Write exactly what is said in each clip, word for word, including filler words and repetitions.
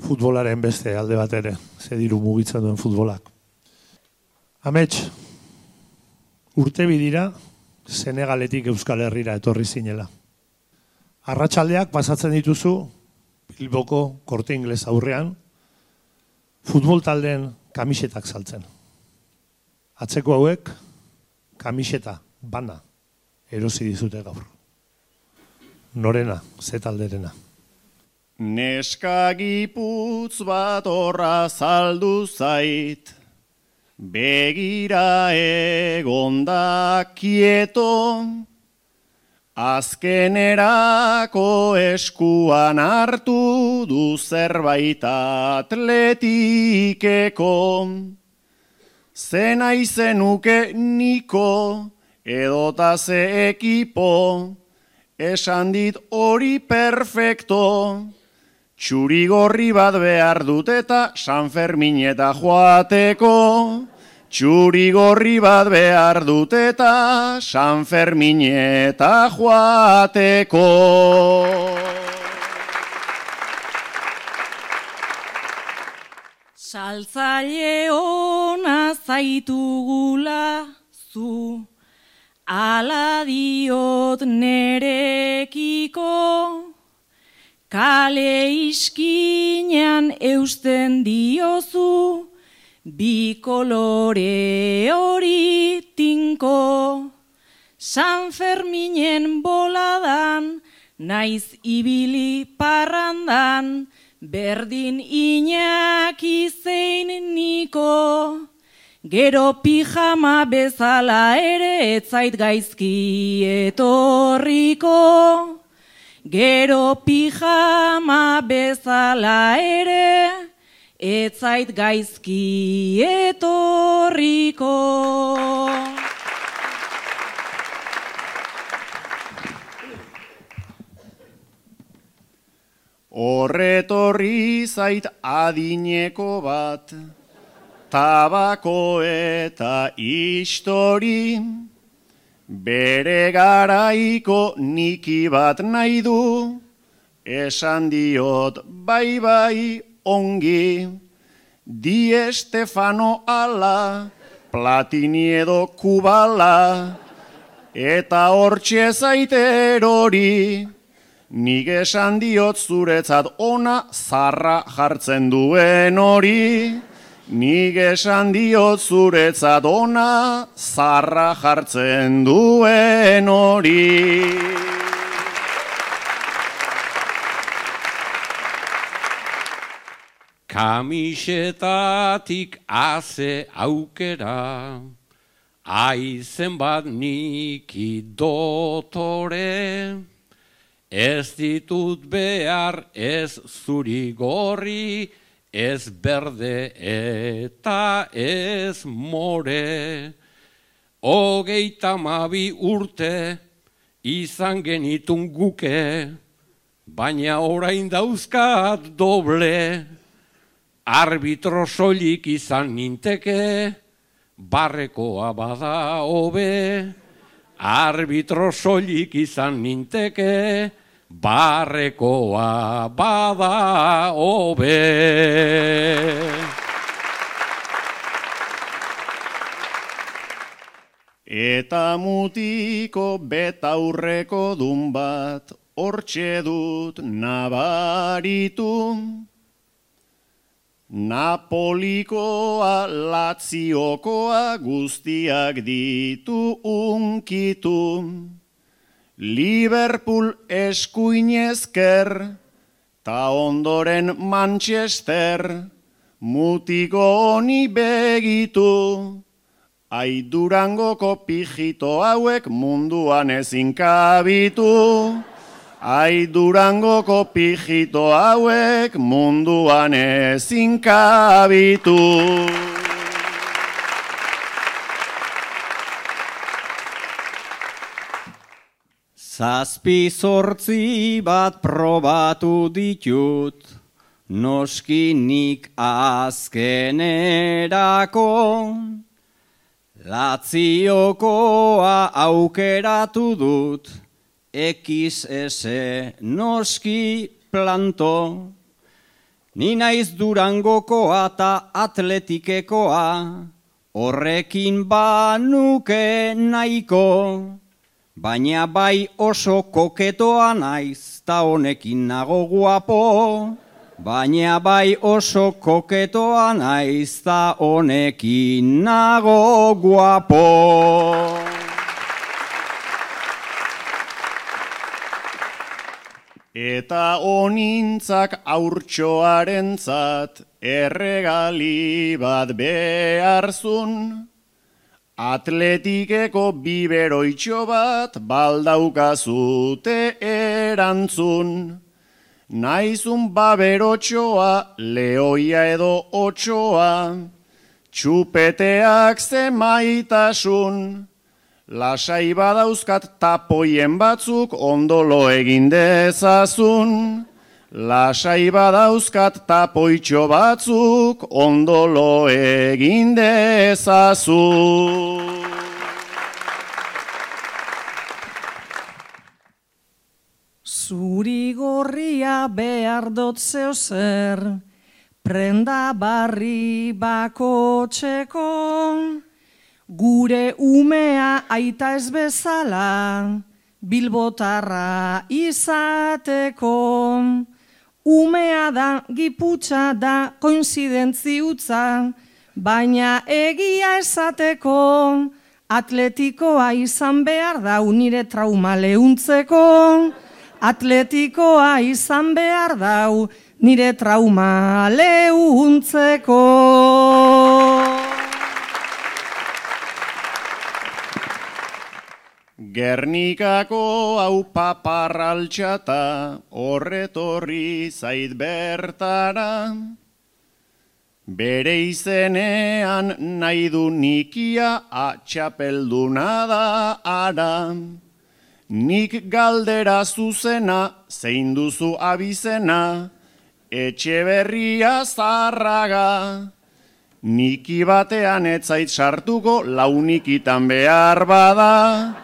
futbolaren beste alde bat ere, ze diru mugitzen duen futbolak. Amets, urte bidira Senegaletik Euskal Herrira etorri zinela. Arratsaldeak pasatzen dituzu Bilboko Korte Ingles aurrean futbol taldeen kamisetak saltzen. Atzeko hauek kamiseta bana erosi dizute gaur. Norena, ze talderena. Neska giputz bat horra saldu zait, begira egonda kieto, azkenerako eskuan hartu du zerbait atletikeko. Zena izenuke niko edota ze ekipo, esan dit hori perfecto. Txurigorri bat behar dut eta San Fermin eta joateko. Txurigorri bat behar dut eta San Fermin eta joateko. Saltzaile ona zaitugula zu, ala diot nerekiko. Kale iskinean eusten diozu, bi kolore hori tinko. San Ferminen boladan, naiz ibili parrandan, berdin Iñaki zein niko. Gero pijama bezala ere etzait gaizki etorriko. Gero pijama bezala ere etzait gaizki etorriko. Horretorri zait adineko bat, tabako eta histori, bere garaiko niki bat nahi du, esan diot bai bai ongi. Di Estefano ala, Platini edo Kubala, eta hortxe zaiter hori. Nik esan diot zuretzat ona zarra jartzen duen hori. Nik esan diot zuretzat ona zarra jartzen duen hori. Kamisetatik haze aukera, aizen bat niki dotore. Ez ditut behar ez zuri gorri, ez berde eta ez more. Hogeita hamabi urte izan genitun guke, baina orain dauzkat doble. Arbitro soilik izan ninteke, barrekoa bada hobe. Arbitro soilik izan ninteke, barrekoa bada hobe. Eta mutiko betaurreko dun bat, hortxe dut nabaritu. Napolikoa, Laziokoa, guztiak ditu unkitu. Liverpool eskuinezker, ta ondoren Manchester, mutiko honi begitu. Ai Durangoko pijito hauek munduan ezin kabitu. Ai Durangoko pijito hauek munduan ezin kabitu. Zazpi zortzi bat probatu ditut, noski nik azkenerako. Laziokoa aukeratu dut, X S noski planto. Ni naiz Durangokoa ta atletikekoa, horrekin banuke nahiko, baina bai oso koketoa naiz, ta honekin nago guapo, baina bai oso koketoa naiz, ta honekin nago guapo. Eta onintzak aurtxoarentzat erregali bat beharzun, atletikeko biberoitxo bat baldaukazute erantzun. Naizun baberotxoa, lehoia edo otxoa, txupeteak zemaitasun, lasai badauzkat tapoien batzuk ondolo egin dezazun. Lasai badauzkat tapoitxo batzuk ondolo egin dezazun. Zuri gorria behar dot zeo zer, prenda barri bako txeko, gure umea aita ez bezala, bilbotarra izateko. Umea da, giputxa da, koinzidentzi utza, baina egia esateko, atletikoa izan behar da unire trauma leuntzeko, atletikoa izan behar dau nire trauma leuntzeko. Gernikako hau paparraltxata horretorri zait bertara, bere izenean nahi du nikia atxapelduna da ara. Nik galdera zuzena, zein duzu abizena, Etxeberria Zarraga. Niki batean etzait sartuko, launikitan behar bada.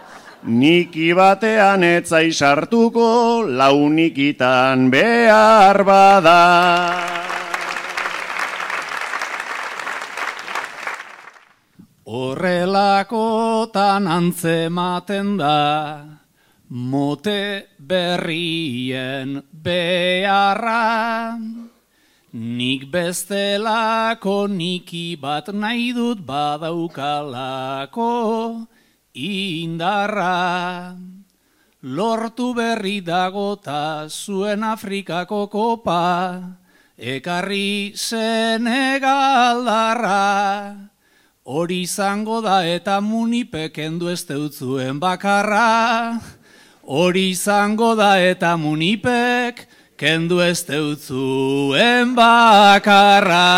Niki batean etzait sartuko, launikitan behar bada. Horrelakotan antzematen da, mote berrien beharra. Nik bestelako niki bat nahi dut badaukalako indarra. Lortu berri dagota zuen Afrikako kopa, ekarri Senegaldarra. Hori izango da eta munipek kendu ez deutzuen bakarra. Hori izango da eta munipek kendu ez deutzuen bakarra.